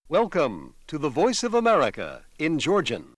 Welcome to the Voice of America in Georgian.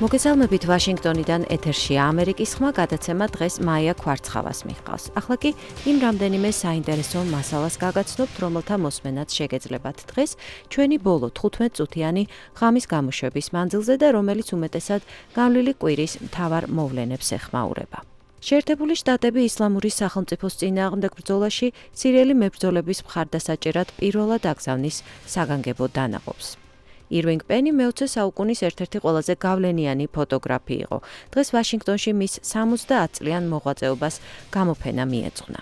მოგესალმებით ვაშინგტონიდან ეთერშია ამერიკის ხმა გადაცემა დღეს მაია ქვარცხავას მიჰყავს. ახლა კი იმ რამდენიმე საინტერესო მასალას გაგაცნობთ, რომელთა მოსმენაც შეგეძლებათ დღეს ჩვენი ბოლო 15 წუთიანი ღამის გამოშვების მანძილზე და რომელიც უმეტესად გავლილი კვირის მთავარ მოვლენებს ეხმაურება. შეერთებული შტატები ისლამური სახელმწიფოს წინააღმდეგ ბრძოლაში სირიელი მებრძოლების მხარდასაჭერად პირველად აგზავნის საგანგებო დანაყოფს. ირვინგ პენი მე-20 საუკუნის ერთ-ერთი ყველაზე გავლენიანი ფოტოგრაფი იყო. დღეს ვაშინგტონში მის 70 წლიან მოღვაწეობას გამოფენა მიეძღვნა.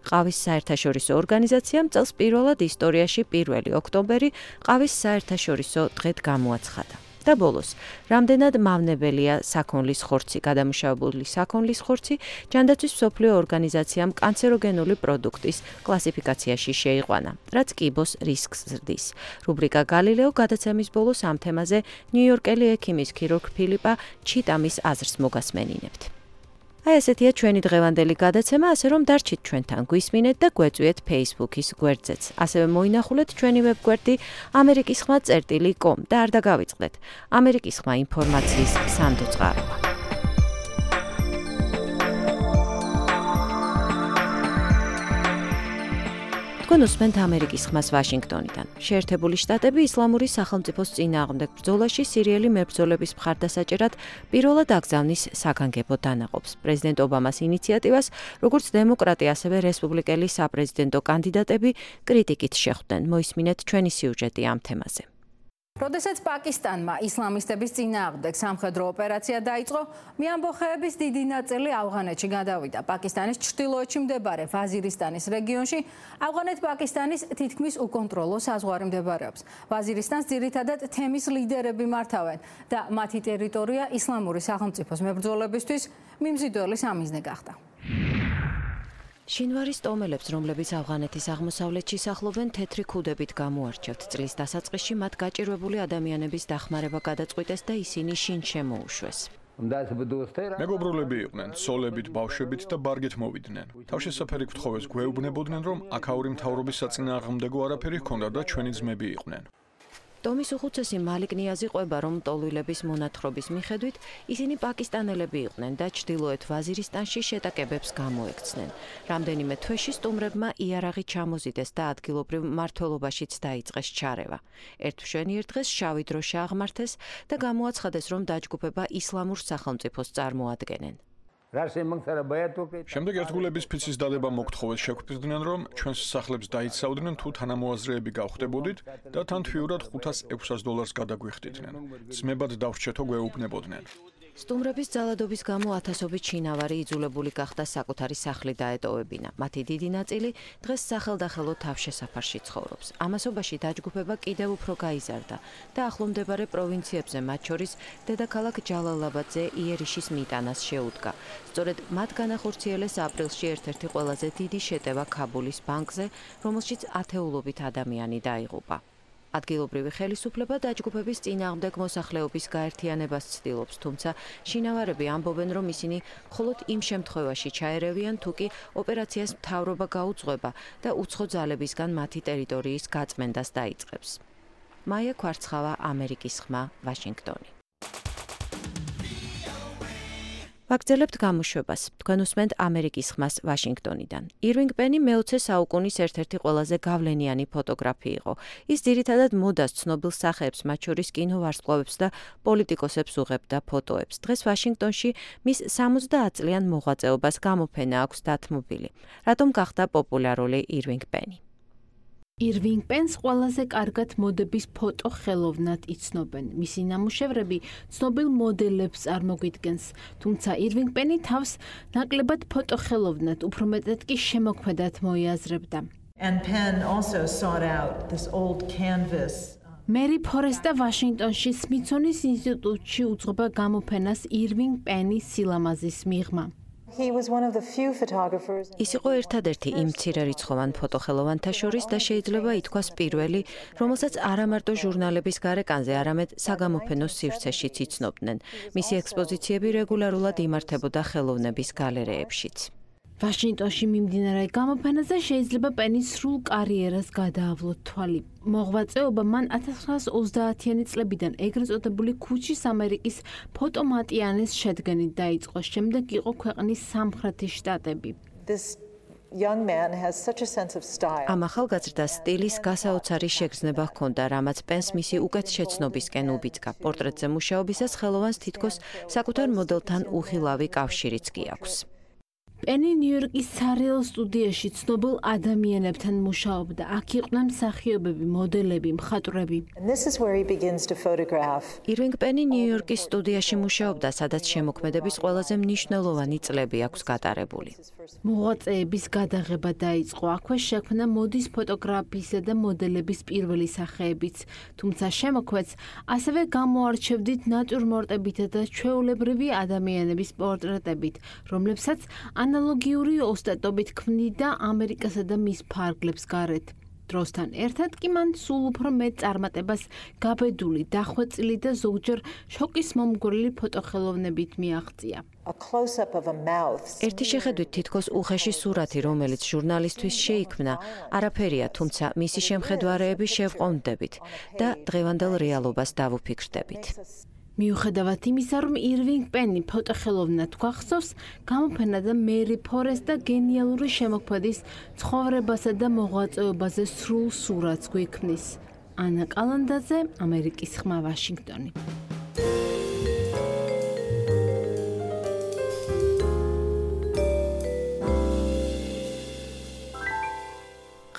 ყავის საერთაშორისო ორგანიზაციამ წელს პირველად ისტორიაში 1 ოქტომბერი ყავის საერთაშორისო დღედ გამოაცხადა. და ბოლოს, რამდენად მავნებელია საქონლის ხორცი, გადამუშავებული საქონლის ხორცი ჯანდაცვის მსოფლიო ორგანიზაციამ კანცეროგენული პროდუქტის კლასიფიკაციაში შეიყვანა, რაც კიბოს რისკს ზრდის. რუბრიკა გალილეო გადაცემის ბოლოს ამ თემაზე ნიუ-იორკელი ექიმის ქირურგ ფილიპა ჩიტამის აზრს მოგასმენინებთ. აი ესეთია ჩვენი დღევანდელი გადაცემა, ასე რომ დარჩით ჩვენთან, გვისმინეთ და გვეწვიეთ Facebook-ის გვერდზეც. ასევე მოინახულეთ ჩვენი ვებგვერდი amerikisxma.com და არ დაგავიწყდეთ. ამერიკის ხმა ინფორმაციის სანდო წყაროა. თქვენ უსმენთ ამერიკის ხმას ვაშინგტონიდან. შეერთებული შტატები ისლამური სახელმწიფოს წინააღმდეგ ბრძოლაში სირიელი მებრძოლების მხარდასაჭერად პირველად აგზავნის საგანგებო დანაყოფს. პრეზიდენტ ობამას ინიციატივას, როგორც დემოკრატი, ასევე რესპუბლიკელი საპრეზიდენტო კანდიდატები კრიტიკით შეხვდნენ. მოისმინეთ ჩვენი სიუჟეტი ამ თემაზე. როდესაც პაკისტანმა ისლამისტების წინააღმდეგ სამხედრო ოპერაცია დაიწყო, მეამბოხეების დიდი ნაწილი ავღანეთში გადავიდა. პაკისტანის ჩრდილოეთში მდებარე ვაზირისტანის რეგიონში ავღანეთ-პაკისტანის თითქმის უკონტროლო საზღვარი მდებარეობს. ვაზირისტანს ძირითადად თემის ლიდერები მართავენ და მათი ტერიტორია ისლამური სახელმწიფოს მებრძოლებისთვის მიმზიდველი სამიზნე გახდა. შინვარის ტომელებს, რომლებიც ავღანეთის აღმოსავლეთში სახლობენ, თეთრი ქუდებით გამოარჩევთ. წლის დასაწყისში მათ გაჭირვებული ადამიანების დახმარება გადაწყვიტეს და ისინი შინ შემოუშვეს. მეგობრულები იყვნენ, ცოლებით, ბავშვებით და ბარგით მოვიდნენ. თავშესაფერი გთხოვეს გვეუბნებოდნენ, რომ აქაური მთავრობის საწინააღმდეგო არაფერი ჰქონდა და ჩვენი ძმები იყვნენ. ტომის უხუცესი მალიკ ნიაზი ყვება, რომ ტოლვილების მონათხრობის მიხედვით ისინი პაკისტანელები იყვნენ და ჩრდილოეთ ვაზირისტანში შეტაკებებს გამოექცნენ. რამდენიმე თვეში სტუმრებმა იარაღი ჩამოზიდეს და ადგილობრივ მმართველობაშიც დაიწყეს ჩარევა. ერთ მშვენიერ დღეს შავი დროშა აღმართეს და გამოაცხადეს, რომ დაჯგუფება ისლამურ სახელმწიფოს წარმოადგენენ. შემდეგ ერთგულების ფიცის დადება მოგთხოვეს, შეგვფიქრდნენ, რომ ჩვენს სახლებს დაიცავდნენ თუ თანამოაზრეები გავხდებოდით და თან თვიურად $500-600 გადაგვიხდიდნენ. ძმებად დავრჩეთო გვეუბნებოდნენ. სტუმრების ძალადობის გამო ათასობით შინავარი იძულებული გახდა საკუთარი სახლი დაეტოვებინა. მათი დიდი ნაწილი დღეს სახელდახელო თავშესაფარში ცხოვრობს. ამასობაში დაჯგუფება კიდევ უფრო გაიზარდა და ახლომდებარე პროვინციებზე, მათ შორის დედაქალაქ ჯალალაბადზე იერიშის მიტანას შეუდგა. სწორედ მათ განახორციელეს აპრილში ერთ-ერთი ყველაზე დიდი შეტევა ქაბულის ბანკზე, რომელშიც ათეულობით ადამიანი დაიღუპა. ადგილობრივი ხელისუფლება დაჯგუფების წინააღმდეგ მოსახლეობის გაერთიანებას ცდილობს, თუმცა შინავარები ამბობენ, რომ ისინი მხოლოდ იმ შემთხვევაში ჩაერევიან, თუ კი ოპერაციას მთავრობა გაუძღვება და უცხო ძალებისგან მათი ტერიტორიის გაწმენდას დაიწყებს. მაია ქვარცხავა, ამერიკის ხმა, ვაშინგტონი. ვაგრძელებთ გამოშვებას. თქვენ უსმენთ ამერიკის ხმას ვაშინგტონიდან. ირვინგ პენი მე-20 საუკუნის ერთ-ერთი ყველაზე გავლენიანი ფოტოგრაფი იყო. ის ძირითადად მოდას, ცნობილ სახეებს, მათ შორის კინოვარსკვლავებს და პოლიტიკოსებს უღებდა ფოტოებს. დღეს ვაშინგტონში მის 70 წლიან მოღვაწეობას გამოფენა აქვს დათმობილი. რატომ გახდა პოპულარული ირვინგ პენი? ირვინგ პენს ყველაზე კარგად მოდების ფოტო ხელოვნად იცნობენ. მისი ნამუშევრები ცნობილ მოდელებს წარმოგვიდგენს, თუმცა ირვინგ პენი თავს ნაკლებად ფოტო ხელოვნად, უფრო მეტად კი შემოქმედად მოიაზრებდა. And Penn also sought out this old canvas. მერი ფორესტა ვაშინგტონში სმითსონის ინსტიტუტში უძღვება გამოფენას ირვინგ პენის სილამაზის მიღმა. He was one of the few photographers. ის იყო ერთადერთი იმ მცირერიცხოვან ფოტოხელოვანთა შორის და შეიძლება ითქვას პირველი, რომელსაც არა მარტო ჟურნალების გარეკანზე, არამედ საგამოფენო სივრცეშიც იცნობდნენ. მისი ექსპოზიციები რეგულარულად იმართებოდა ხელოვნების გალერეებშიც. ვაშინგტონში მიმდინარე გამოფენაზე შეიძლება პენის სრულ კარიერას გადაავლოთ თვალი. მოღვაწეობა მან 1930-იანი წლებიდან ეგრეთ წოდებული ქუჩის ამერიკის ფოტომატიანის შედგენით დაიწყო. შემდეგ იყო ქვეყნის სამხრეთის შტატები. This young man has such a sense of style. ამ ახალგაზრდა სტილის გასაოცარი შეგრძნება ჰქონდა, რამაც პენს მისი უკეთ შეცნობისკენ უბიძგა. პორტრეტზე მუშაობისას ხელოვანს თითქოს საკუთარ მოდელთან უხილავი კავშირიც კი აქვს. პენი ნიუ-იორკის სარეალ სტუდიაში ცნობილ ადამიანებთან მუშაობდა. აქ იყვნენ მსახიობები, მოდელები, მხატვრები. And this is where he begins to photograph. ირვინგ პენი ნიუ-იორკის სტუდიაში მუშაობდა, სადაც შემოქმედების ყველაზე მნიშვნელოვანი წლები აქვს გატარებული. მოღვაწეების გადაღება დაიწყო. აქვე შექმნა მოდის ფოტოგრაფიისა და მოდელების პირველი სახეებიც. თუმცა შემოქმედს ასევე გამოარჩევდით ნატურმორტებითა და ჩვეულებრივი ადამიანების პორტრეტებით, რომლებსაც ანალოგიური ოსტატობით ქმნიდა ამერიკასა და მის ფარგლებს გარეთ. დროსთან ერთად კი მან სულ უფრო მეტ წარმატებას გაბედული, დახვეწილი და ზოგჯერ შოკის მომგვრელი ფოტოხელოვნებით მიაღწია. A close-up of a mouth. ერთი შეხედვით თითქოს უხეში სურათი, რომელიც ჟურნალისტვის შეიქმნა, არაფერია, თუმცა მისი შემხედვარეები შევყოვნდებით და დღევანდელ რეალობას დავუფიქრდებით. მიუხედავად იმისა, რომ ირვინგ პენი ფოტოხელოვნად გვახსოვს, გამოფენა და მერი ფორესტა გენიალური შემოქმედის ცხოვრებასა და მოღვაწეობაზე სრულ სურათს გვიქმნის. ანა კალანდაძე, ამერიკის ხმა, ვაშინგტონი.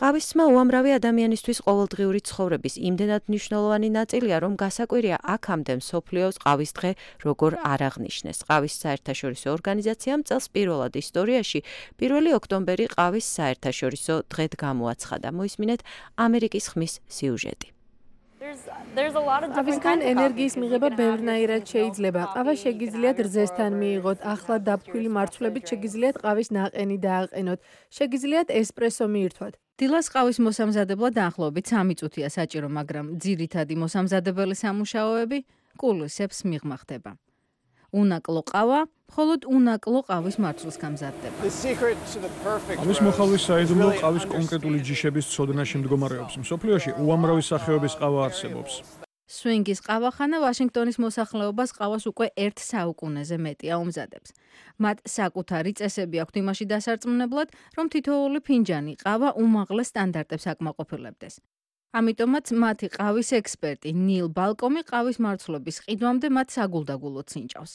ყავისცმა უამრავი ადამიანისთვის ყოველდღიური ცხოვრების იმდენად მნიშვნელოვანი ნაწილია, რომ გასაკვირია აქამდე მსოფლიოს ყავის დღე როგორ არ აღნიშნეს. ყავის საერთაშორისო ორგანიზაციამ წელს პირველად ისტორიაში 1 ოქტომბერი ყავის საერთაშორისო დღედ გამოაცხადა. მოისმინეთ ამერიკის ხმის სიუჟეტი. ყავისგან ენერგიის მიღება ბევრნაირად შეიძლება. ყავა შეგიძლიათ რძესთან მიიღოთ, ახლა დაფქვილი მარცვლებით შეგიძლიათ ყავის ნაყენი დააყენოთ, შეგიძლიათ ესპრესო მიირთვათ. დილას ყავის მოსამზადებლად დაახლოებით 3 წუთია საჭირო, მაგრამ ძირითადი მოსამზადებელი სამუშაოები კულისებს მიღმა ხდება. უნაკლო ყავა მხოლოდ უნაკლო ყავის მარცვლის გამზადდება. ყავის მოხალვის საიდუმლო ყავის კონკრეტული ჯიშების ცოდნაში მდგომარეობს. მსოფლიოში უამრავი სახეობის ყავა არსებობს. სვინგის ყავახანა ვაშინგტონის მოსახლეობას ყავას უკვე 1 საუკუნეზე მეტია უმზადებს. მათ საკუთარი წესები აქვთ იმაში დასარწმუნებლად, რომ თითოეული ფინჯანი ყავა უმაღლეს სტანდარტებს აკმაყოფილებდეს. ამიტომაც მათი ყავის ექსპერტი ნილ ბალკომი ყავის მარცვლების ყიდვამდე მათ საგულდაგულოდ სინჭავს.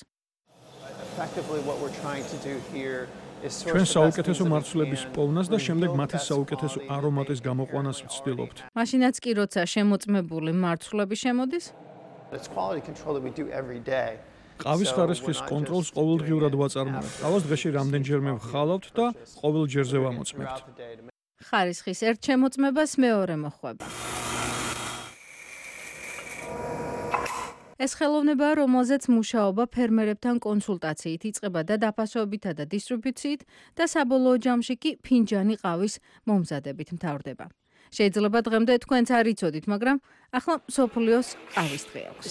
ჩვენ საუკეთესო მარცვლების პოვნას და შემდეგ მათი საუკეთესო არომატის გამოყვანას ვცდილობთ. მაშინაც კი როცა შემოწმებული მარცვლები შემოდის, ყავის ხარისხის კონტროლს ყოველდღიურად ვაწარმოებთ. ყავას დღეში რამდენჯერმე ვხალავთ და ყოველ ჯერზე ვამოწმებთ. ხარისხის ერთ შემოწმებას მეორე მოხვება. ეს ხელოვნებაა, რომელზეც მუშაობა ფერმერებთან კონსულტაციით იწყება და დაფასობითა და დისტრიბუციით და საბოლოო ჯამში კი ფინჯანი ყავის მომზადებით მთავრდება. შეიძლება დღემდე თქვენც არ იცოდით, მაგრამ ახლა მსოფლიოს ყავის დღე აქვს.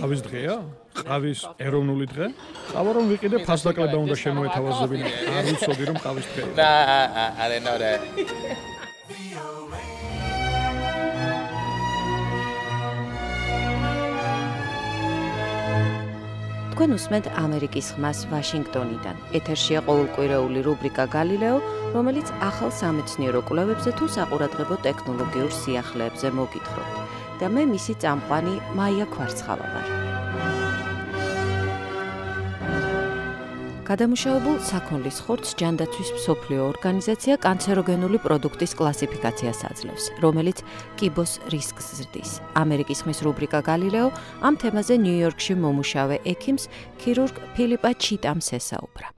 ყავის დღეა? ყავის ეროვნული დღე? ყავა რომ ვიყიდე ფასდაკლება უნდა შემოეთავაზებინა. არ ვიცოდი რომ ყავის დღეა. I didn't know that. თქვენ უსმენთ ამერიკის ხმას ვაშინგტონიდან. ეთერშია ყოველკვირეული რუბრიკა გალილეო, რომელიც ახალ სამეცნიერო კვლევებზე თუ საყურადღებო ტექნოლოგიურ სიახლეებზე მოგითხრობთ. და მე მისი წამყვანი მაია ქვარცხავა ვარ. გადამუშავებულ საქონლის ხორცს ჯანდაცვის მსოფლიო ორგანიზაცია კანცეროგენული პროდუქტის კლასიფიკაციას აძლევს, რომელიც კიბოს რისკს ზრდის. ამერიკის ხმის რუბრიკა გალილეო ამ თემაზე ნიუ-იორკში მომუშავე ექიმს, ქირურგ ფილიპა ჩიტამს ესაუბრა.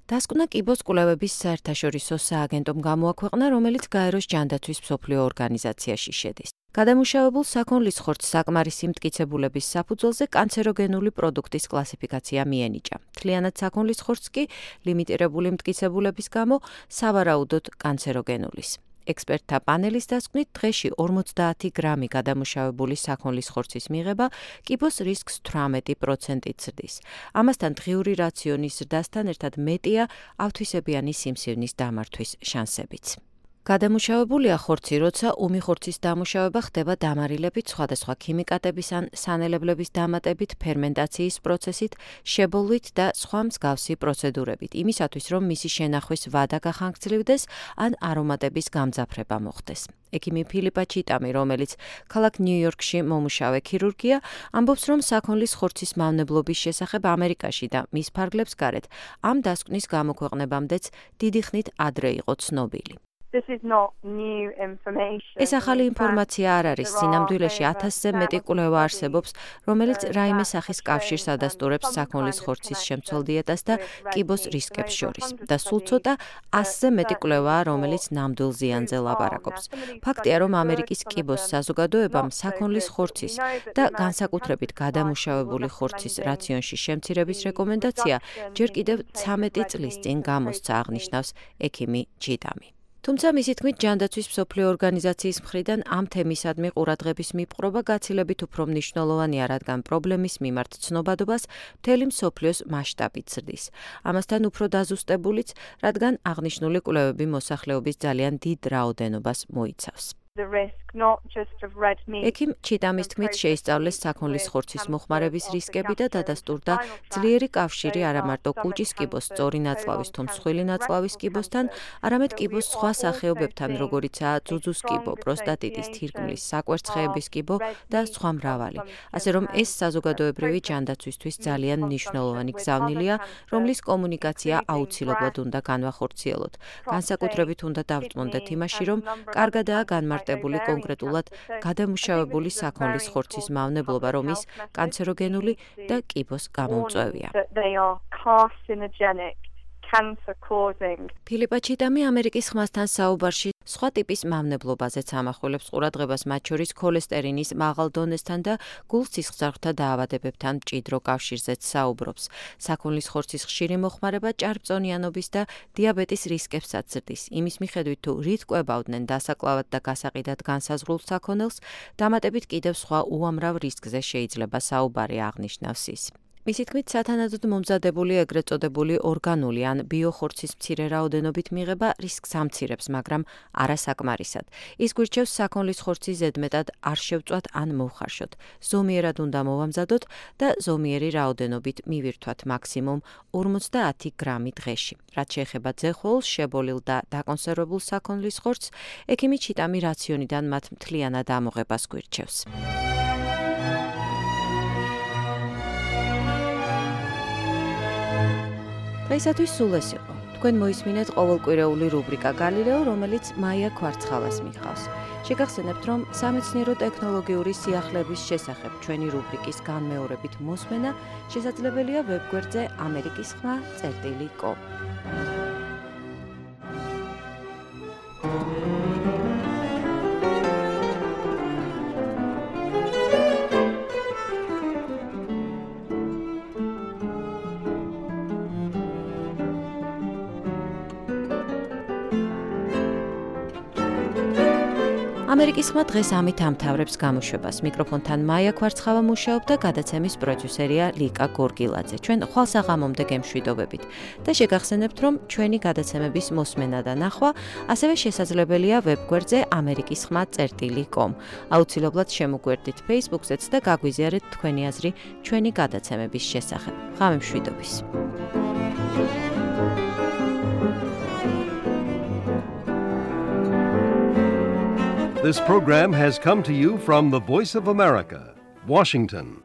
დასკვნა კიბოს კვლევების საერთაშორისო სააგენტომ გამოაქვეყნა, რომელიც გაეროს ჯანდაცვის მსოფლიო ორგანიზაციაში შედის. გადამუშავებულ საქონლის ხორცს საკმარისი მტკიცებულების საფუძველზე კანცეროგენული პროდუქტის კლასიფიკაცია მიენიჭა. მთლიანად საქონლის ხორცს კი ლიმიტირებული მტკიცებულების გამო სავარაუდოდ კანცეროგენულის. ექსპერტთა პანელის დასკვნით დღეში 50 გრამი გადამუშავებული საქონლის ხორცის მიღება კიბოს რისკს 18% ზრდის. ამასთან დღიური რაციონის ზრდასთან ერთად მეტია ავთვისებიანი სიმსივნის დამართვის შანსებიც. გადამუშავებულია ხორცი, როცა ომი ხორცის დამუშავება ხდება დამარილებით, სხვადასხვა ქიმიკატების ან სანელებლების დამატებით, ფერმენტაციის პროცესით, შებოლვით და სხვა მსგავსი პროცედურებით, იმისათვის, რომ მისი შენახვის ვადა გახანგრძლივდეს ან არომატების გამძაფრება მოხდეს. ექიმი ფილიპა ჩიტამი, რომელიც ქალაქ ნიუ-იორკში მომუშავე ქირურგია, ამბობს, რომ საქონლის ხორცის მავნებლობის შესახებ ამერიკაში და მის ფარგლებს გარეთ ამ დასკვნის გამოქვეყნებამდეც დიდი ხნით ადრე იყო ცნობილი. ეს ახალი ინფორმაცია არ არის. სინამდვილეში 1000-ზე მეტი კვლევა არსებობს, რომელიც რაიმე სახის კავშირს ადასტურებს საქონლის ხორცის შემცველ დიეტას და კიბოს რისკებს შორის. და სულ ცოტა 100-ზე მეტი კვლევაა, რომელიც ნამდვილ ზიანზე ლაპარაკობს. ფაქტია, რომ ამერიკის კიბოს საზოგადოებამ საქონლის ხორცის და განსაკუთრებით გადამუშავებული ხორცის რაციონში შემცირების რეკომენდაცია ჯერ კიდევ 13 წლის წინ გამოსცა, აღნიშნავს ექიმი ჩიტამი. თუმცა მისი თქმით, ჯანდაცვის მსოფლიო ორგანიზაციის მხრიდან ამ თემისადმი ყურადღების მიპყრობა გაცილებით უფრო მნიშვნელოვანია, რადგან პრობლემის მიმართ ცნობადობას მთელი მსოფლიოს მასშტაბით ზრდის. ამასთან უფრო დაზუსტებულიც, რადგან აღნიშნული კვლევები მოსახლეობის ძალიან დიდ რაოდენობას მოიცავს. ექიმ ჩიტამის თქმით, შეისწავლეს საქონლის ხორცის მოხმარების რისკები და დადასტურდა ძლიერი კავშირი არა მარტო კუჭის კიბოს სწორი ნაწლავის თუ მსხვილი ნაწლავის კიბოსთან, არამედ კიბოს სხვა სახეობებთან, როგორიცაა ძუძუს კიბო, პროსტატიტის, თირკმლის, საკვერცხეების კიბო და სხვა მრავალი. ასე რომ ეს საზოგადოებრივი ჯანდაცვისთვის ძალიან მნიშვნელოვანი გზავნილია, რომლის კომუნიკაცია აუცილებლად უნდა განვახორციელოთ. განსაკუთრებით უნდა დავწმუნდეთ იმაში, რომ კარგადაა განმარტებული კონკრეტულად გადამუშავებული საქონლის ხორცის მავნებლობა, რომ ის კანცეროგენული და კიბოს გამომწვევია. ფილიპა ჩიტამი ამერიკის ხმასთან საუბარში სხვა ტიპის მავნებლობაზეც ამახვილებს ყურადღებას, მათ შორის ქოლესტერინის მაღალ დონესთან და გულ-სისხლძარღვთა დაავადებებთან მჭიდრო კავშირზეც საუბრობს. საქონლის ხორცის ხშირი მოხმარება ჭარბწონიანობის და დიაბეტის რისკებსაც ზრდის. იმის მიხედვით, თუ რით კვებავდნენ დასაკლავად და გასაყიდად განსაზღვრულ საქონელს, დამატებით კიდევ სხვა უამრავ რისკზე შეიძლება საუბარი, აღნიშნავს ის. მისი თქმით, სათანადოდ მომზადებული ეგრეთ წოდებული ორგანული ან ბიოხორცის მცირე რაოდენობით მიღება რისკს ამცირებს, მაგრამ არა საკმარისად. ის გვირჩევს საქონლის ხორცი ზედმეტად არ შევწვათ ან მოვხარშოთ. ზომიერად უნდა მოვამზადოთ და ზომიერი რაოდენობით მივირთვათ მაქსიმუმ 50 გრამი დღეში. რაც შეეხება ძეხოლს, შებოლილ და დაკონსერვებულ საქონლის ხორცს, ექიმი ჩიტამი რაციონიდან მათ მთლიანად ამოღებას გვირჩევს. დღეისათვის სულ ეს იყო. თქვენ მოისმინეთ ყოველკვირეული რუბრიკა გალილეო, რომელიც მაია კვარცხალას მიჰყავს. შეგახსენებთ, რომ სამეცნიერო ტექნოლოგიური სიახლეების შესახებ ჩვენი რუბრიკის განმეორებით მოსმენა შესაძლებელია ვებგვერდზე amerikisxma.com. ამერიკის ხმა დღეს ამით ამთავრებს გამოშვებას. მიკროფონთან მაია კვარცხავა მუშაობდა, გადაცემის პროდიუსერია ლიკა გორგილაძე. ჩვენ ხვალ საღამომდე გემშვიდობებით და შეგახსენებთ, რომ ჩვენი გადაცემების მოსმენა და ნახვა ასევე შესაძლებელია ვებგვერდზე amerikisxma.com. აუცილებლად შემოგვერდით Facebook-ზეც და გაგვიზიარეთ თქვენი აზრი ჩვენი გადაცემების შესახებ. ღამე მშვიდობის. This program has come to you from the Voice of America, Washington.